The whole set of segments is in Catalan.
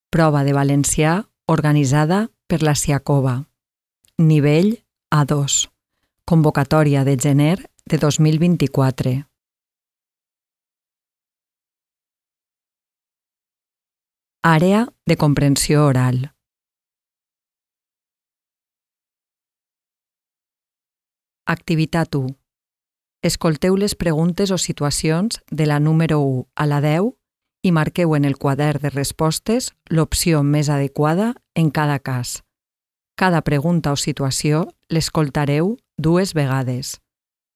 Prova de valencià organitzada per la Siacova. Nivell A2. Convocatòria de gener de 2024. Àrea de comprensió oral. Activitat 1. Escolteu les preguntes o situacions de la número 1 a la 10 i marqueu en el quadern de respostes l'opció més adequada en cada cas. Cada pregunta o situació l'escoltareu 2 vegades.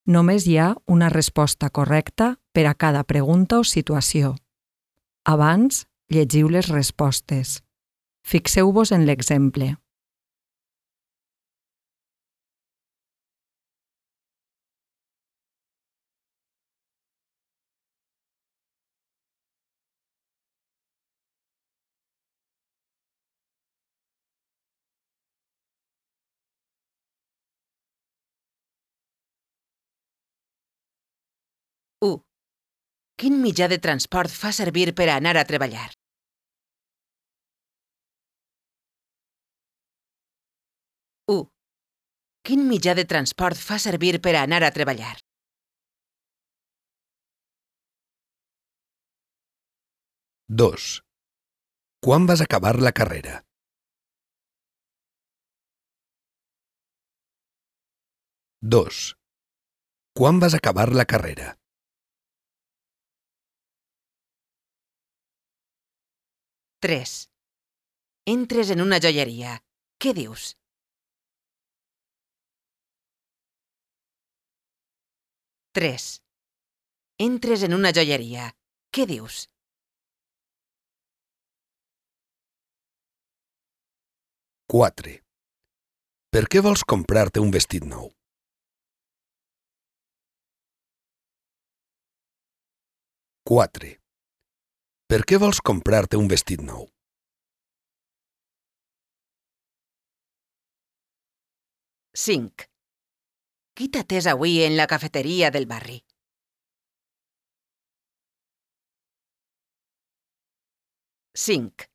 Només hi ha una resposta correcta per a cada pregunta o situació. Abans, llegiu les respostes. Fixeu-vos en l'exemple. Quin mitjà de transport fa servir per a anar a treballar? 1. Quin mitjà de transport fa servir per a anar a treballar? 2. Quan vas acabar la carrera? 2. Quan vas acabar la carrera? 3. Entres en una joieria. Què dius? 3. Entres en una joieria. Què dius? 4. Per què vols comprar-te un vestit nou? 4. Per què vols comprar-te un vestit nou? 5. Qui t'ha atès avui en la cafeteria del barri? 5.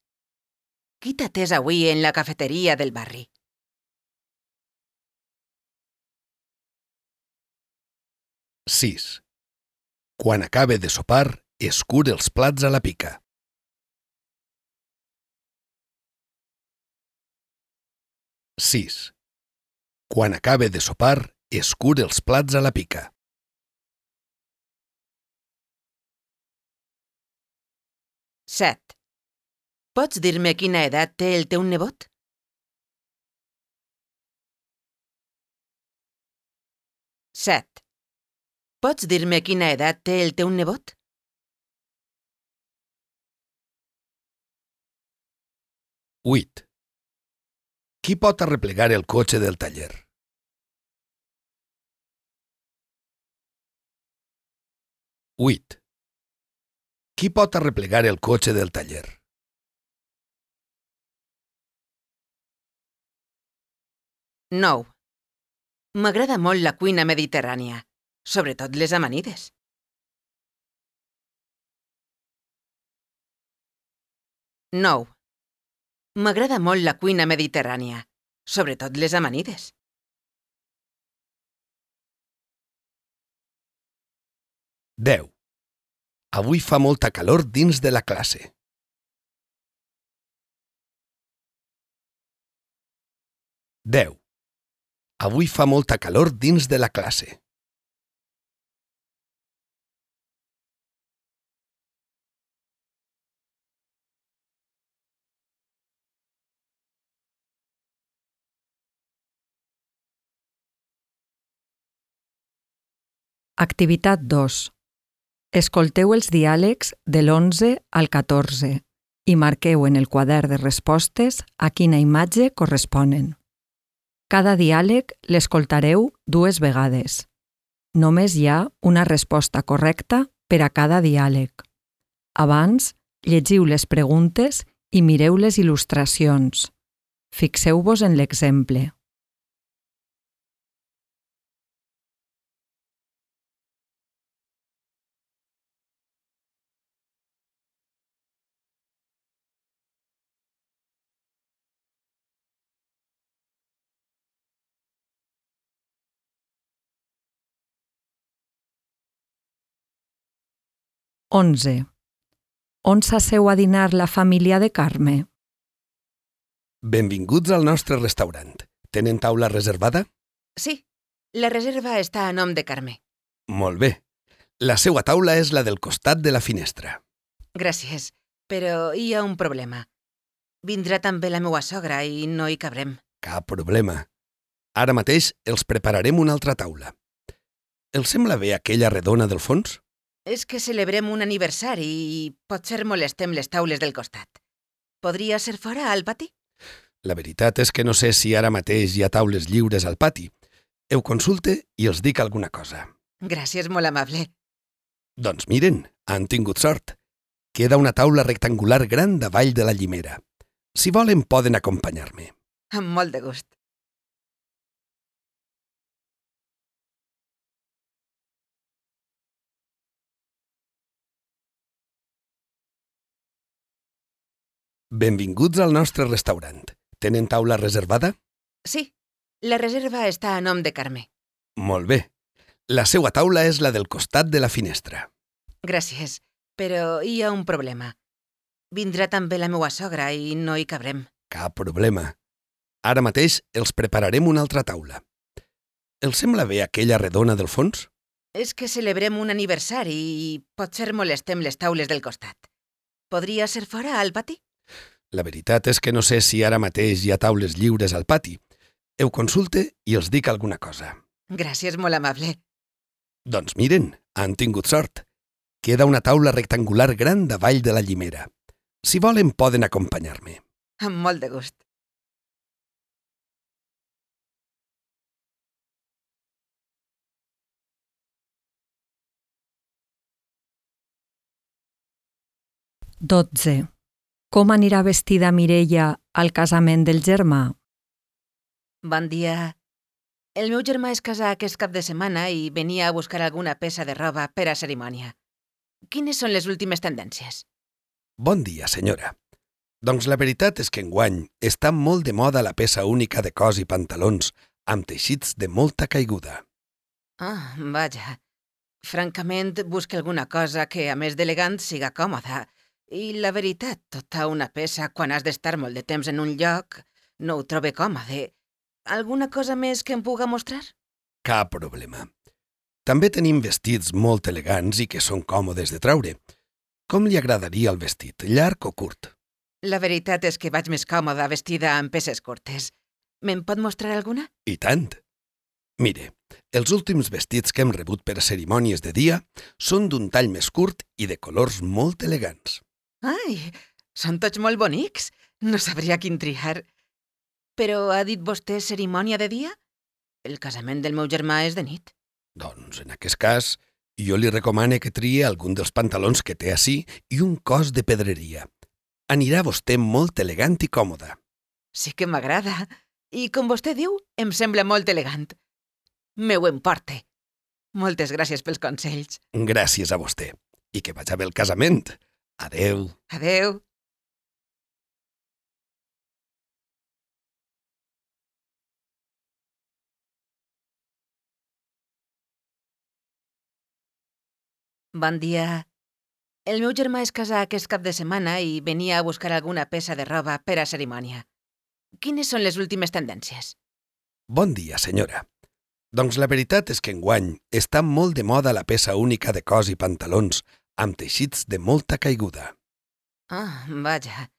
Qui t'ha atès avui en la cafeteria del barri? 6. Quan acabe de sopar, escur els plats a la pica. 6. Quan acabe de sopar, escur els plats a la pica. 7. Pots dir-me quina edat té el teu nebot? 7. Pots dir-me quina edat té el teu nebot? 8. Qui pot arreplegar el cotxe del taller? 8. Qui pot arreplegar el cotxe del taller? 9. M'agrada molt la cuina mediterrània, sobretot les amanides. 9. M'agrada molt la cuina mediterrània, sobretot les amanides. 10. Avui fa molta calor dins de la classe. 10. Avui fa molta calor dins de la classe. Activitat 2. Escolteu els diàlegs de l'11 al 14 i marqueu en el quadern de respostes a quina imatge corresponen. Cada diàleg l'escoltareu 2 vegades. Només hi ha una resposta correcta per a cada diàleg. Abans, llegiu les preguntes i mireu les il·lustracions. Fixeu-vos en l'exemple. 11. On s'asseu a dinar la família de Carme? Benvinguts al nostre restaurant. Tenen taula reservada? Sí, la reserva està a nom de Carme. Molt bé. La seua taula és la del costat de la finestra. Gràcies, però hi ha un problema. Vindrà també la meua sogra i no hi cabrem. Cap problema. Ara mateix els prepararem una altra taula. Els sembla bé aquella redona del fons? És que celebrem un aniversari i potser molestem les taules del costat. Podria ser fora, al pati? La veritat és que no sé si ara mateix hi ha taules lliures al pati. Ho consulte i els dic alguna cosa. Gràcies, molt amable. Doncs miren, han tingut sort. Queda una taula rectangular gran davall de la llimera. Si volen, poden acompanyar-me. Amb molt de gust. Benvinguts al nostre restaurant. Tenen taula reservada? Sí, la reserva està a nom de Carme. Molt bé. La seua taula és la del costat de la finestra. Gràcies, però hi ha un problema. Vindrà també la meua sogra i no hi cabrem. Cap problema. Ara mateix els prepararem una altra taula. Els sembla bé aquella redona del fons? És que celebrem un aniversari i potser molestem les taules del costat. Podria ser fora, al pati? La veritat és que no sé si ara mateix hi ha taules lliures al pati. Ho consulte i els dic alguna cosa. Gràcies, molt amable. Doncs miren, han tingut sort. Queda una taula rectangular gran davall de la llimera. Si volen, poden acompanyar-me. Amb molt de gust. Dotze. Com anirà vestida Mireia al casament del germà? Bon dia. El meu germà es casa aquest cap de setmana i venia a buscar alguna peça de roba per a cerimònia. Quines són les últimes tendències? Bon dia, senyora. Doncs la veritat és que enguany està molt de moda la peça única de cos i pantalons amb teixits de molta caiguda. Ah, vaja. Francament, busca alguna cosa que, a més d'elegant, siga còmoda. I la veritat, tota una peça quan has d'estar molt de temps en un lloc, no ho trobe còmode. Alguna cosa més que em puga mostrar? Cap problema. També tenim vestits molt elegants i que són còmodes de traure. Com li agradaria el vestit, llarg o curt? La veritat és que vaig més còmoda vestida amb peces curtes. Me'n pot mostrar alguna? I tant. Mire, els últims vestits que hem rebut per a cerimònies de dia són d'un tall més curt i de colors molt elegants. Ai, són tots molt bonics. No sabria quin triar. Però ha dit vostè cerimònia de dia? El casament del meu germà és de nit. Doncs, en aquest cas, jo li recomano que trie algun dels pantalons que té ací i un cos de pedreria. Anirà vostè molt elegant i còmoda. Sí que m'agrada. I com vostè diu, em sembla molt elegant. Me ho emporte. Moltes gràcies pels consells. Gràcies a vostè. I que vagi bé el casament. Adeu. Adeu. Bon dia. El meu germà es casa aquest cap de setmana i venia a buscar alguna peça de roba per a cerimònia. Quines són les últimes tendències? Bon dia, senyora. Doncs la veritat és que enguany està molt de moda la peça única de cos i pantalons amb teixits de molta caiguda. Ah, vaja.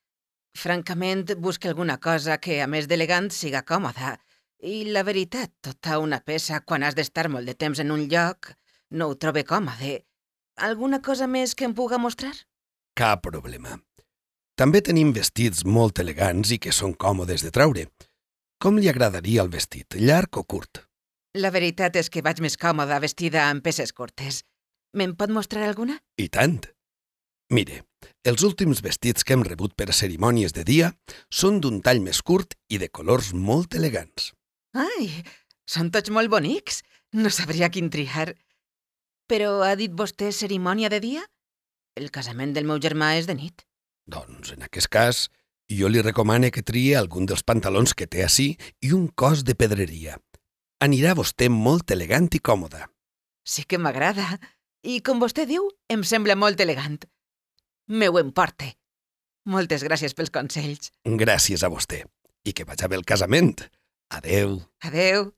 Francament, busca alguna cosa que, a més d'elegant, siga còmoda. I la veritat, tota una peça quan has d'estar molt de temps en un lloc, no ho trobe còmode. Alguna cosa més que em puga mostrar? Cap problema. També tenim vestits molt elegants i que són còmodes de traure. Com li agradaria el vestit, llarg o curt? La veritat és que vaig més còmoda vestida amb peces curtes. Me'n pot mostrar alguna? I tant. Mire, els últims vestits que hem rebut per a cerimònies de dia són d'un tall més curt i de colors molt elegants. Ai, són tots molt bonics. No sabria quin triar. Però ha dit vostè cerimònia de dia? El casament del meu germà és de nit. Doncs, en aquest cas, jo li recomano que trie algun dels pantalons que té ací i un cos de pedreria. Anirà vostè molt elegant i còmoda. Sí que m'agrada. I, com vostè diu, em sembla molt elegant. Me ho emporte. Moltes gràcies pels consells. Gràcies a vostè. I que vaja bé el casament. Adeu. Adeu.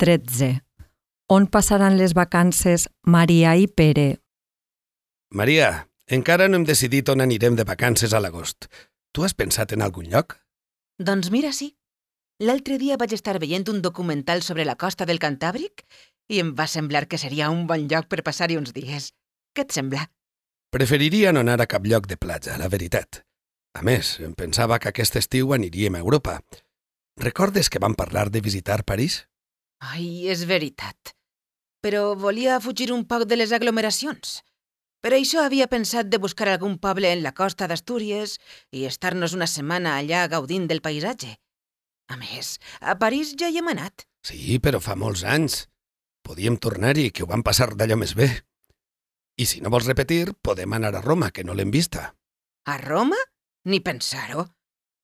Tretze. On passaran les vacances Maria i Pere? Maria, encara no hem decidit on anirem de vacances a l'agost. Tu has pensat en algun lloc? Doncs mira, sí. L'altre dia vaig estar veient un documental sobre la costa del Cantàbric i em va semblar que seria un bon lloc per passar-hi uns dies. Què et sembla? Preferiria no anar a cap lloc de platja, la veritat. A més, em pensava que aquest estiu aniríem a Europa. Recordes que vam parlar de visitar París? Ai, és veritat. Però volia fugir un poc de les aglomeracions. Per això havia pensat de buscar algun poble en la costa d'Astúries i estar-nos una setmana allà gaudint del paisatge. A més, a París ja hi hem anat. Sí, però fa molts anys. Podíem tornar-hi, que ho vam passar d'allò més bé. I si no vols repetir, podem anar a Roma, que no l'hem vista. A Roma? Ni pensar-ho.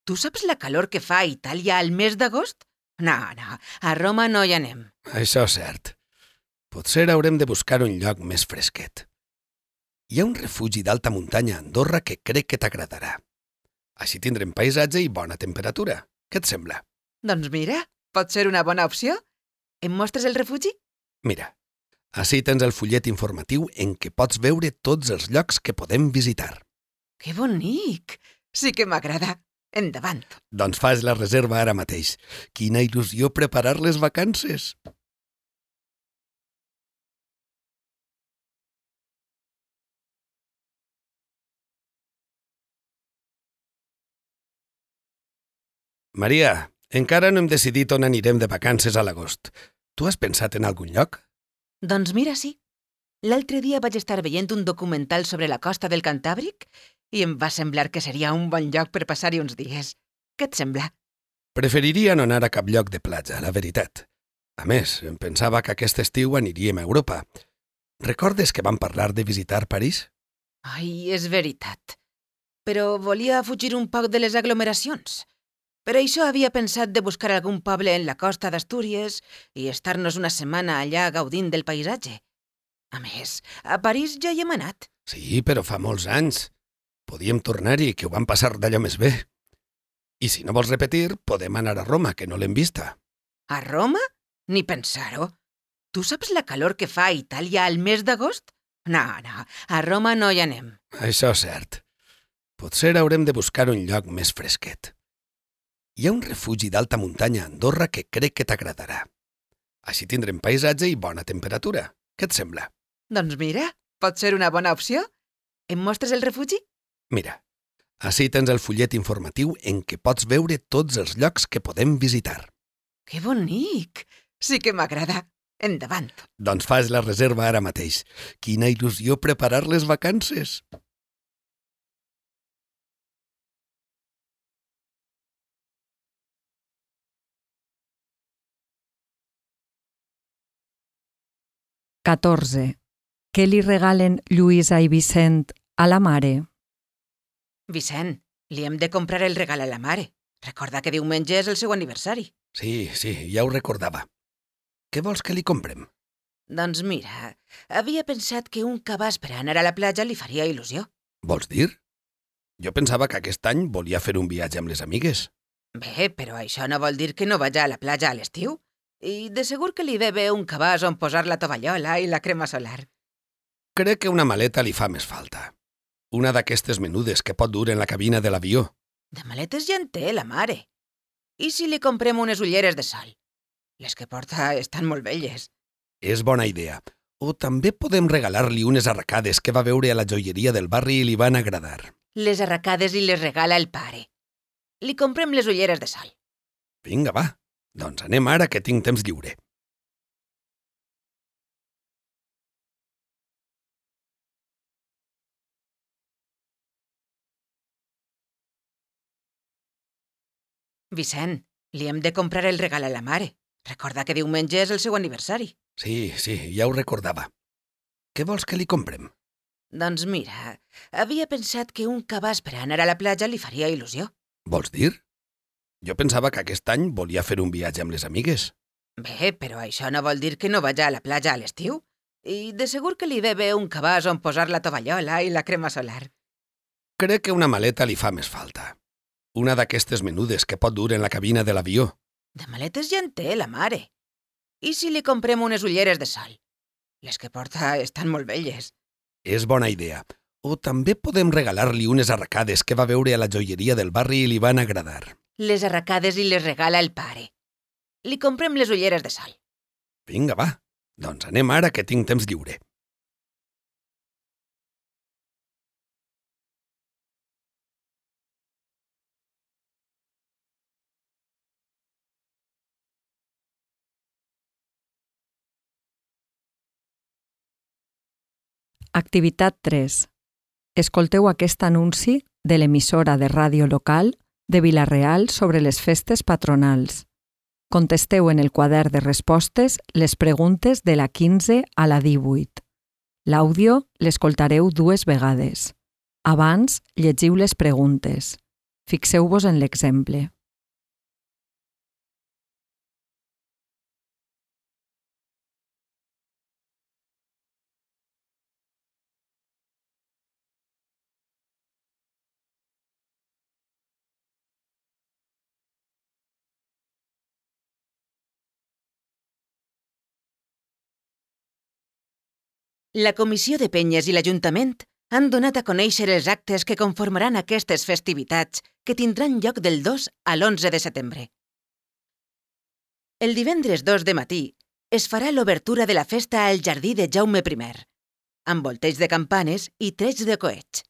Tu saps la calor que fa a Itàlia al mes d'agost? No, a Roma no hi anem. Això és cert. Potser haurem de buscar un lloc més fresquet. Hi ha un refugi d'alta muntanya a Andorra que crec que t'agradarà. Així tindrem paisatge i bona temperatura. Què et sembla? Doncs mira, pot ser una bona opció. Em mostres el refugi? Mira, ací tens el fullet informatiu en què pots veure tots els llocs que podem visitar. Que bonic! Sí que m'agrada. Endavant. Doncs fas la reserva ara mateix. Quina il·lusió preparar les vacances! Maria, encara no hem decidit on anirem de vacances a l'agost. Tu has pensat en algun lloc? Doncs mira, sí. L'altre dia vaig estar veient un documental sobre la costa del Cantàbric i em va semblar que seria un bon lloc per passar-hi uns dies. Què et sembla? Preferiria no anar a cap lloc de platja, la veritat. A més, em pensava que aquest estiu aniríem a Europa. Recordes que vam parlar de visitar París? Ai, és veritat. Però volia fugir un poc de les aglomeracions. Per això havia pensat de buscar algun poble en la costa d'Astúries i estar-nos una setmana allà gaudint del paisatge. A més, a París ja hi hem anat. Sí, però fa molts anys. Podíem tornar-hi, que ho vam passar d'allò més bé. I si no vols repetir, podem anar a Roma, que no l'hem vista. A Roma? Ni pensar-ho. Tu saps la calor que fa a Itàlia al mes d'agost? No, a Roma no hi anem. Això és cert. Potser haurem de buscar un lloc més fresquet. Hi ha un refugi d'alta muntanya a Andorra que crec que t'agradarà. Així tindrem paisatge i bona temperatura. Què et sembla? Doncs mira, pot ser una bona opció. Em mostres el refugi? Mira, ací tens el fullet informatiu en què pots veure tots els llocs que podem visitar. Que bonic! Sí que m'agrada. Endavant. Doncs fas la reserva ara mateix. Quina il·lusió preparar les vacances! Catorze. Què li regalen Lluïsa i Vicent a la mare? Vicent, li hem de comprar el regal a la mare. Recorda que diumenge és el seu aniversari. Sí, ja ho recordava. Què vols que li comprem? Doncs mira, havia pensat que un cabàs per anar a la platja li faria il·lusió. Vols dir? Jo pensava que aquest any volia fer un viatge amb les amigues. Bé, però això no vol dir que no vagi a la platja a l'estiu. I de segur que li ve bé un cabàs on posar la tovallola i la crema solar. Crec que una maleta li fa més falta. Una d'aquestes menudes que pot dur en la cabina de l'avió. De maletes ja en té, la mare. I si li comprem unes ulleres de sol? Les que porta estan molt velles. És bona idea. O també podem regalar-li unes arracades que va veure a la joieria del barri i li van agradar. Les arracades i les regala el pare. Li comprem les ulleres de sol. Vinga, va. Doncs anem ara que tinc temps lliure. Vicent, li hem de comprar el regal a la mare. Recorda que diumenge és el seu aniversari. Sí, ja ho recordava. Què vols que li comprem? Doncs mira, havia pensat que un cabàs per anar a la platja li faria il·lusió. Vols dir? Jo pensava que aquest any volia fer un viatge amb les amigues. Bé, però això no vol dir que no vaja a la platja a l'estiu. I de segur que li ve bé un cabàs on posar la tovallola i la crema solar. Crec que una maleta li fa més falta. Una d'aquestes menudes que pot dur en la cabina de l'avió. De maletes ja en té, la mare. I si li comprem unes ulleres de sol? Les que porta estan molt velles. És bona idea. O també podem regalar-li unes arracades que va veure a la joieria del barri i li van agradar. Les arracades li les regala el pare. Li comprem les ulleres de sol. Vinga, va. Doncs anem ara que tinc temps lliure. Activitat 3. Escolteu aquest anunci de l'emissora de ràdio local de Vila-real sobre les festes patronals. Contesteu en el quadern de respostes les preguntes de la 15 a la 18. L'àudio l'escoltareu 2 vegades. Abans, llegiu les preguntes. Fixeu-vos en l'exemple. La Comissió de Penyes i l'Ajuntament han donat a conèixer els actes que conformaran aquestes festivitats que tindran lloc del 2 a l'11 de setembre. El divendres 2 de matí es farà l'obertura de la festa al jardí de Jaume I, amb volteig de campanes i trets de coets.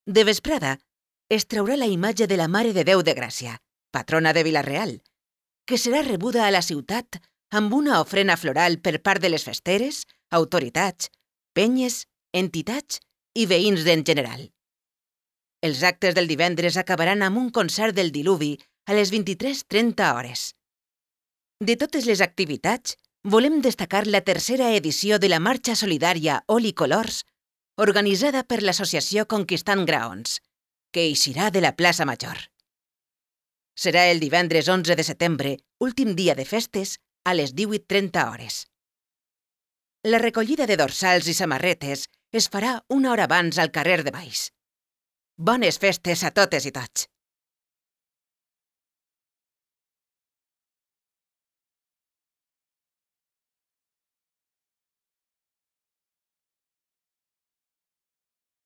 De vesprada es traurà la imatge de la Mare de Déu de Gràcia, patrona de Vila-real, que serà rebuda a la ciutat amb una ofrena floral per part de les festeres, autoritats, penyes, entitats i veïns en general. Els actes del divendres acabaran amb un concert del diluvi a les 23:30 hores. De totes les activitats, volem destacar la tercera edició de la Marxa Solidària Oli Colors, organitzada per l'associació Conquistant Graons, que eixirà de la plaça Major. Serà el divendres 11 de setembre, últim dia de festes, a les 18:30 hores. La recollida de dorsals i samarretes es farà una hora abans al carrer de Baix. Bones festes a totes i tots!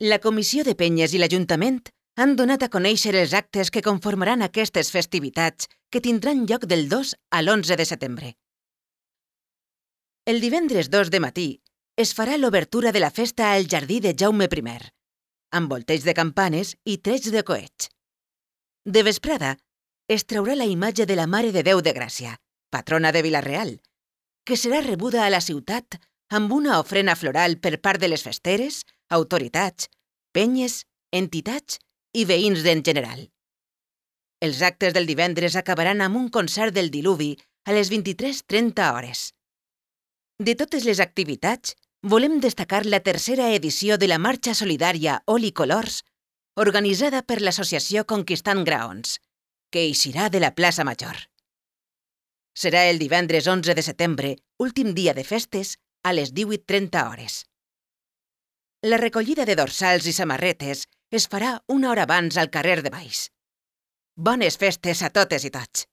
La Comissió de Penyes i l'Ajuntament han donat a conèixer els actes que conformaran aquestes festivitats que tindran lloc del 2 a l'11 de setembre. El divendres 2 de matí es farà l'obertura de la festa al jardí de Jaume I, amb volteig de campanes i trets de coets. De vesprada es traurà la imatge de la Mare de Déu de Gràcia, patrona de Vila-real, que serà rebuda a la ciutat amb una ofrena floral per part de les festeres, autoritats, penyes, entitats i veïns en general. Els actes del divendres acabaran amb un concert del diluvi a les 23:30 hores. De totes les activitats, volem destacar la tercera edició de la Marxa Solidària Oli Colors, organitzada per l'associació Conquistant Graons, que eixirà de la plaça Major. Serà el divendres 11 de setembre, últim dia de festes, a les 18:30 hores. La recollida de dorsals i samarretes es farà una hora abans al carrer de Baix. Bones festes a totes i tots!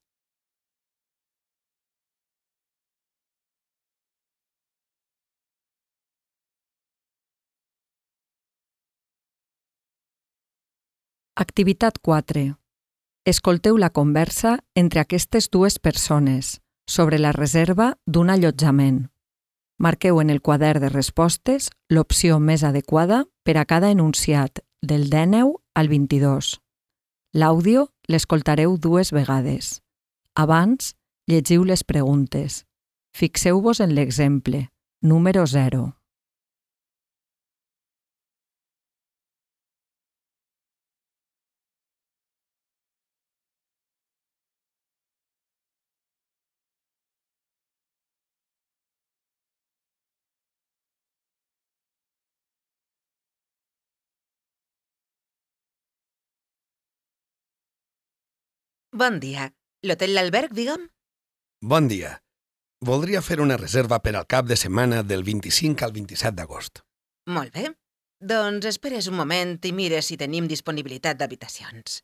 Activitat 4. Escolteu la conversa entre aquestes 2 persones sobre la reserva d'un allotjament. Marqueu en el quadern de respostes l'opció més adequada per a cada enunciat del 19 al 22. L'àudio l'escoltareu 2 vegades. Abans, llegiu les preguntes. Fixeu-vos en l'exemple, número 0. Bon dia. L'Hotel L'Alberg, digue'm? Bon dia. Voldria fer una reserva per al cap de setmana del 25 al 27 d'agost. Molt bé. Doncs esperes un moment i mires si tenim disponibilitat d'habitacions.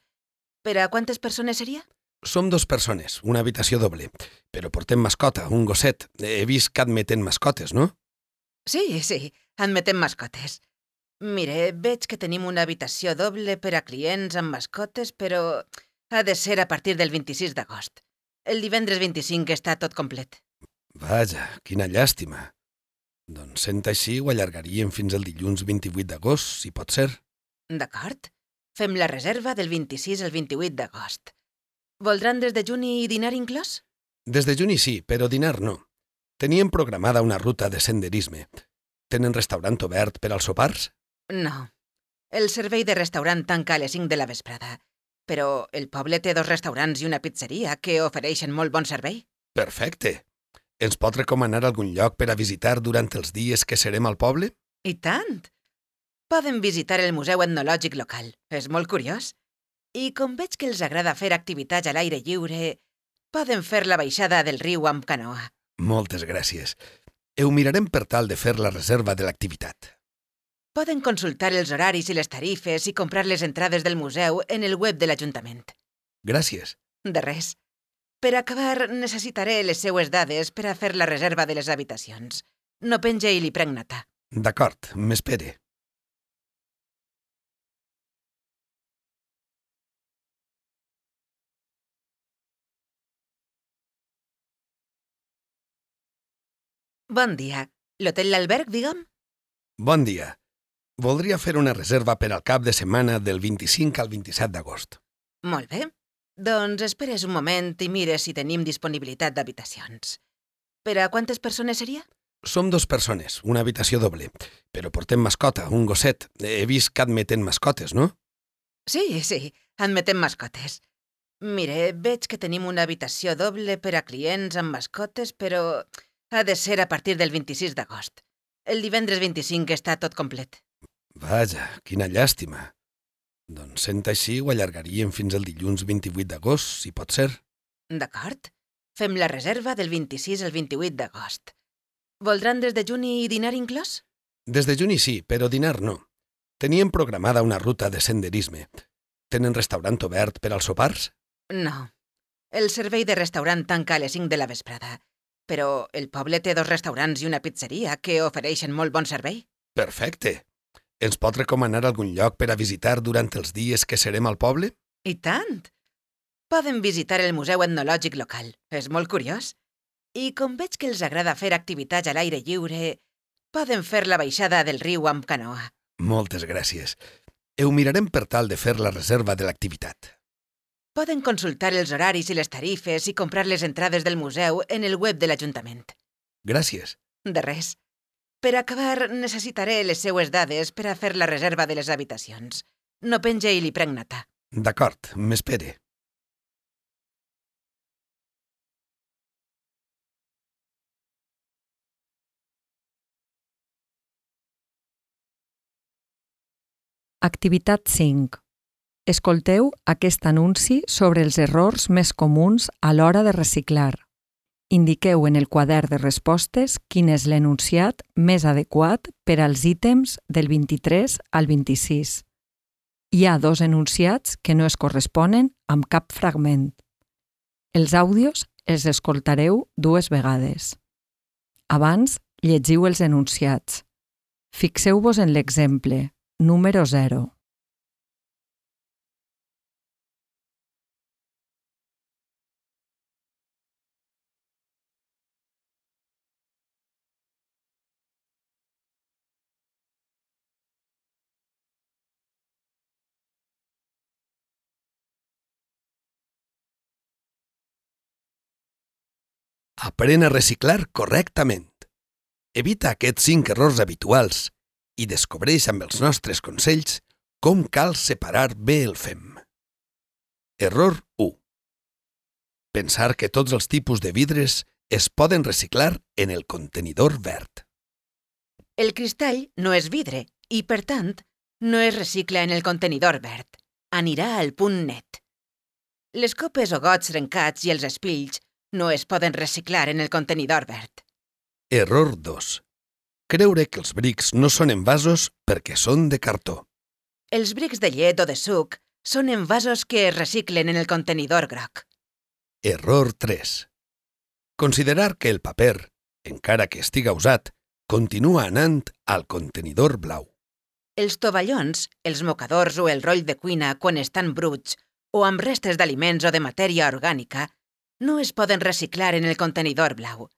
Per a quantes persones seria? Som 2 persones, una habitació doble, però portem mascota, un gosset. He vist que admeten mascotes, no? Sí, admetem mascotes. Mire, veig que tenim una habitació doble per a clients amb mascotes, però ha de ser a partir del 26 d'agost. El divendres 25 està tot complet. Vaja, quina llàstima. Doncs sent així ho allargaríem fins al dilluns 28 d'agost, si pot ser. D'acord? Fem la reserva del 26 al 28 d'agost. Voldran des de juny i dinar inclòs? Des de juny sí, però dinar no. Teníem programada una ruta de senderisme. Tenen restaurant obert per als sopars? No. El servei de restaurant tanca a les 5 de la vesprada, però el poble té 2 restaurants i una pizzeria que ofereixen molt bon servei. Perfecte. Ens pot recomanar algun lloc per a visitar durant els dies que serem al poble? I tant! Poden visitar el Museu Etnològic local. És molt curiós. I com veig que els agrada fer activitats a l'aire lliure, poden fer la baixada del riu amb canoa. Moltes gràcies. Ho mirarem per tal de fer la reserva de l'activitat. Poden consultar els horaris i les tarifes i comprar les entrades del museu en el web de l'Ajuntament. Gràcies. De res. Per acabar, necessitaré les seues dades per a fer la reserva de les habitacions. No penge i li prenc nota. D'acord, m'espere. Bon dia. L'Hotel L'Alberg, digue'm? Bon dia. Voldria fer una reserva per al cap de setmana del 25 al 27 d'agost. Molt bé. Doncs esperes un moment i mires si tenim disponibilitat d'habitacions. Per a quantes persones seria? Som 2 persones, una habitació doble, però portem mascota, un gosset. He vist que admeten mascotes, no? Sí, admetem mascotes. Mire, veig que tenim una habitació doble per a clients amb mascotes, però ha de ser a partir del 26 d'agost. El divendres 25 està tot complet. Vaja, quina llàstima. Doncs sent així ho allargaríem fins al dilluns 28 d'agost, si pot ser. D'acord? Fem la reserva del 26 al 28 d'agost. Voldran des de juny i dinar inclòs? Des de juny sí, però dinar no. Teníem programada una ruta de senderisme. Tenen restaurant obert per als sopars? No. El servei de restaurant tanca a les 5 de la vesprada, però el poble té 2 restaurants i una pizzeria que ofereixen molt bon servei. Perfecte. Ens pot recomanar algun lloc per a visitar durant els dies que serem al poble? I tant! Poden visitar el Museu Etnològic local. És molt curiós. I com veig que els agrada fer activitats a l'aire lliure, poden fer la baixada del riu amb canoa. Moltes gràcies. Ho mirarem per tal de fer la reserva de l'activitat. Poden consultar els horaris i les tarifes i comprar les entrades del museu en el web de l'Ajuntament. Gràcies. De res. Per acabar, necessitaré les seues dades per a fer la reserva de les habitacions. No penge i li prenc nota. D'acord, m'espere. Activitat 5. Escolteu aquest anunci sobre els errors més comuns a l'hora de reciclar. Indiqueu en el quadern de respostes quin és l'enunciat més adequat per als ítems del 23 al 26. Hi ha 2 enunciats que no es corresponen amb cap fragment. Els àudios els escoltareu 2 vegades. Abans, llegiu els enunciats. Fixeu-vos en l'exemple, número 0. Aprèn a reciclar correctament. Evita aquests 5 errors habituals i descobreix amb els nostres consells com cal separar bé el fem. Error 1. Pensar que tots els tipus de vidres es poden reciclar en el contenidor verd. El cristall no és vidre i, per tant, no es recicla en el contenidor verd. Anirà al punt net. Les copes o gots trencats i els espills no es poden reciclar en el contenidor verd. Error 2. Creure que els brics no són envasos perquè són de cartó. Els brics de llet o de suc són envasos que es reciclen en el contenidor groc. Error 3. Considerar que el paper, encara que estiga usat, continua anant al contenidor blau. Els tovallons, els mocadors o el roll de cuina quan estan bruts o amb restes d'aliments o de matèria orgànica no es poden reciclar en el contenidor blau.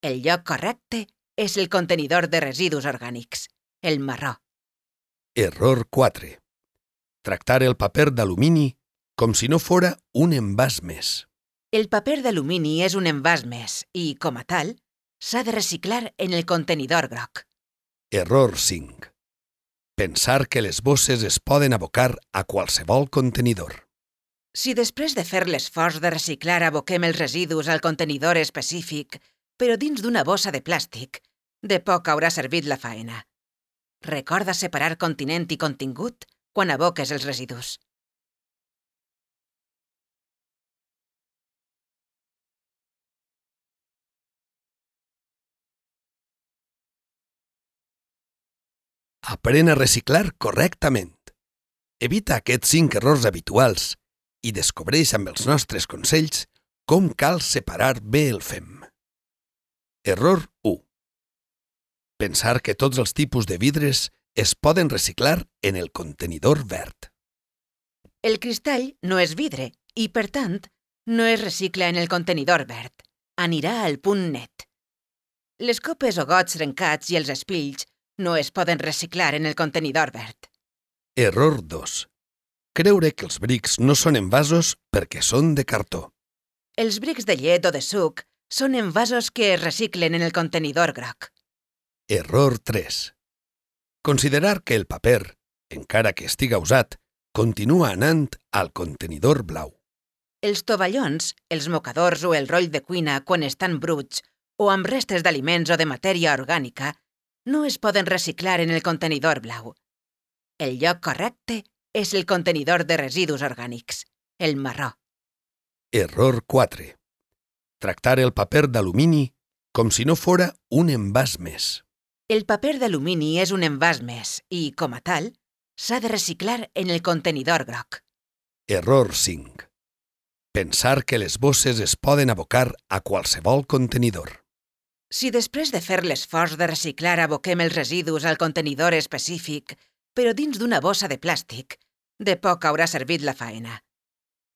El lloc correcte és el contenidor de residus orgànics, el marró. Error 4. Tractar el paper d'alumini com si no fora un envàs més. El paper d'alumini és un envàs més i, com a tal, s'ha de reciclar en el contenidor groc. Error 5. Pensar que les bosses es poden abocar a qualsevol contenidor. Si després de fer l'esforç de reciclar aboquem els residus al contenidor específic, però dins d'una bossa de plàstic, de poc haurà servit la faena. Recorda separar continent i contingut quan aboques els residus. Aprèn a reciclar correctament. Evita aquests 5 errors habituals i descobreix amb els nostres consells com cal separar bé el fem. Error 1. Pensar que tots els tipus de vidres es poden reciclar en el contenidor verd. El cristall no és vidre i, per tant, no es recicla en el contenidor verd. Anirà al punt net. Les copes o gots trencats i els espills no es poden reciclar en el contenidor verd. Error 2. Creure que els brics no són envasos perquè són de cartó. Els brics de llet o de suc són envasos que es reciclen en el contenidor groc. Error 3. Considerar que el paper, encara que estiga usat, continua anant al contenidor blau. Els tovallons, els mocadors o el roll de cuina quan estan bruts o amb restes d'aliments o de matèria orgànica no es poden reciclar en el contenidor blau. El lloc correcte és el contenidor de residus orgànics, el marró. Error 4. Tractar el paper d'alumini com si no fora un envàs més. El paper d'alumini és un envàs més i, com a tal, s'ha de reciclar en el contenidor groc. Error 5. Pensar que les bosses es poden abocar a qualsevol contenidor. Si després de fer l'esforç de reciclar aboquem els residus al contenidor específic, però dins d'una bossa de plàstic, de poc haurà servit la faena.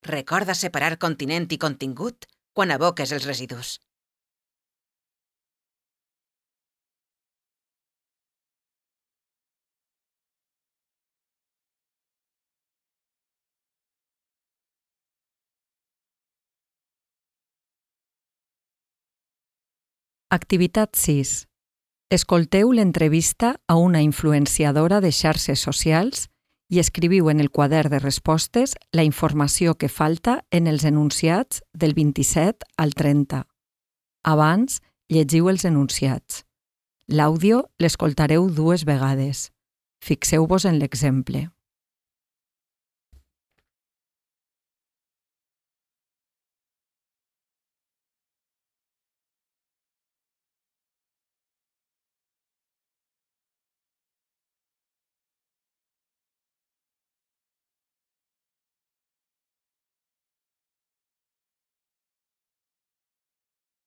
Recorda separar continent i contingut quan aboques els residus. Activitat 6. Escolteu l'entrevista a una influenciadora de xarxes socials i escriviu en el quadern de respostes la informació que falta en els enunciats del 27 al 30. Abans, llegiu els enunciats. L'àudio l'escoltareu 2 vegades. Fixeu-vos en l'exemple.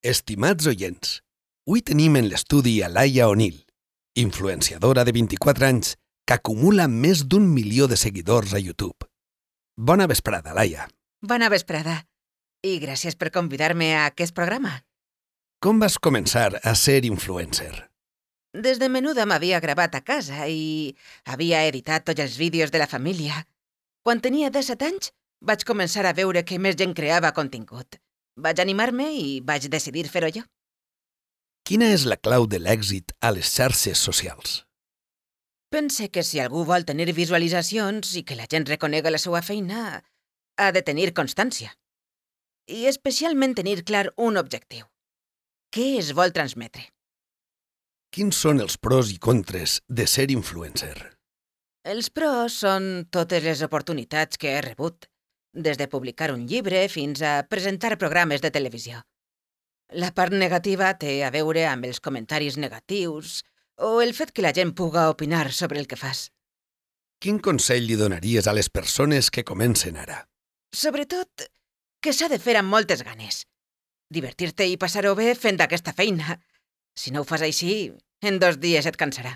Estimats oients, avui tenim en l'estudi a Laia O'Neill, influenciadora de 24 anys que acumula més d'1 milió de seguidors a YouTube. Bona vesprada, Laia. Bona vesprada. I gràcies per convidar-me a aquest programa. Com vas començar a ser influencer? Des de menuda m'havia gravat a casa i havia editat tots els vídeos de la família. Quan tenia 17 anys, vaig començar a veure que més gent creava contingut. Vaig animar-me i vaig decidir fer-ho jo. Quina és la clau de l'èxit a les xarxes socials? Pense que si algú vol tenir visualitzacions i que la gent reconega la seva feina, ha de tenir constància. I especialment tenir clar un objectiu. Què es vol transmetre? Quins són els pros i contres de ser influencer? Els pros són totes les oportunitats que he rebut. des de publicar un llibre fins a presentar programes de televisió. La part negativa té a veure amb els comentaris negatius o el fet que la gent puga opinar sobre el que fas. Quin consell li donaries a les persones que comencen ara? Sobretot, que s'ha de fer amb moltes ganes. Divertir-te i passar-ho bé fent aquesta feina. Si no ho fas així, en 2 dies et cansarà.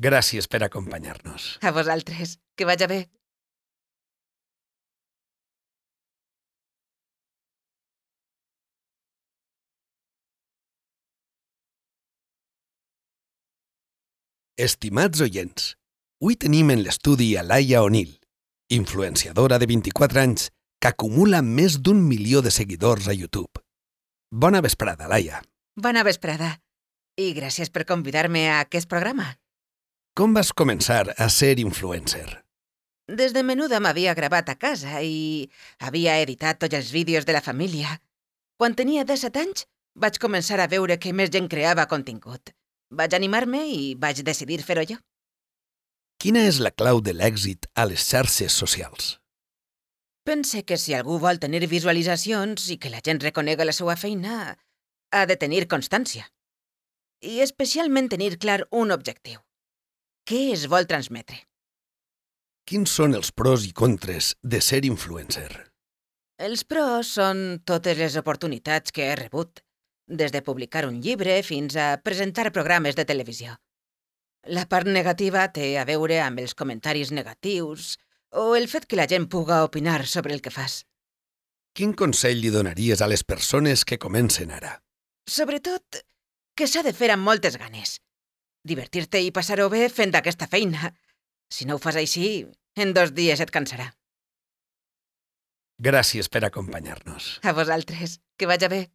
Gràcies per acompanyar-nos. A vosaltres, que vaja bé. Estimats oients, avui tenim en l'estudi a Laia O'Neill, influenciadora de 24 anys que acumula més d'1 milió de seguidors a YouTube. Bona vesprada, Laia. Bona vesprada. I gràcies per convidar-me a aquest programa. Com vas començar a ser influencer? Des de menuda m'havia gravat a casa i havia editat tots els vídeos de la família. Quan tenia 17 anys, vaig començar a veure que més gent creava contingut. Vaig animar-me i vaig decidir fer-ho jo. Quina és la clau de l'èxit a les xarxes socials? Pense que si algú vol tenir visualitzacions i que la gent reconega la seva feina, ha de tenir constància. I especialment tenir clar un objectiu. Què es vol transmetre? Quins són els pros i contres de ser influencer? Els pros són totes les oportunitats que he rebut, des de publicar un llibre fins a presentar programes de televisió. La part negativa té a veure amb els comentaris negatius o el fet que la gent puga opinar sobre el que fas. Quin consell li donaries a les persones que comencen ara? Sobretot, que s'ha de fer amb moltes ganes. Divertir-te i passar-ho bé fent aquesta feina. Si no ho fas així, en 2 dies et cansarà. Gràcies per acompanyar-nos. A vosaltres, que vaja bé.